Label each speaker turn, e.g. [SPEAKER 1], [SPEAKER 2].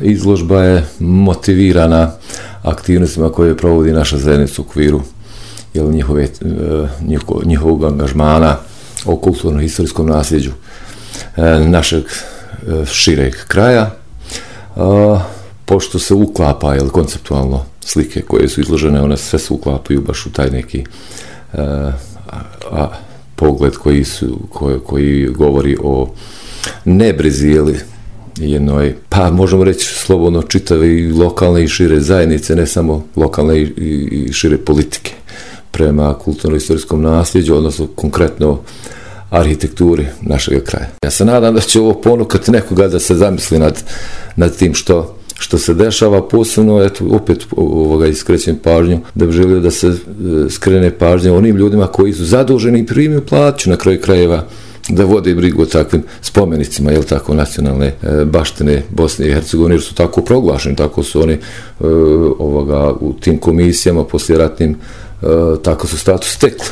[SPEAKER 1] Izložba je motivirana aktivnostima koje provodi naša zajednica u okviru njihovog angažmana o kulturno-historijskom nasljeđu našeg šireg kraja, pošto se uklapa konceptualno slike koje su izložene, one sve se uklapaju baš u taj neki pogled koji govori o nebrizi jednoj, pa možemo reći slobodno čitave i lokalne i šire zajednice, ne samo lokalne i šire politike prema kulturno-istorijskom nasljeđu, odnosno konkretno arhitekturi našeg kraja. Ja se nadam da će ovo ponukati nekoga da se zamisli nad tim što se dešava, posebno, opet iskrećem pažnju, da bi želio da se skrene pažnje onim ljudima koji su zaduženi i primaju plaću na kraju krajeva da vode brigu o takvim spomenicima, nacionalne baštine Bosne i Hercegovine, jer su tako proglašeni, tako su oni u tim komisijama poslijeratnim, tako su status stekli.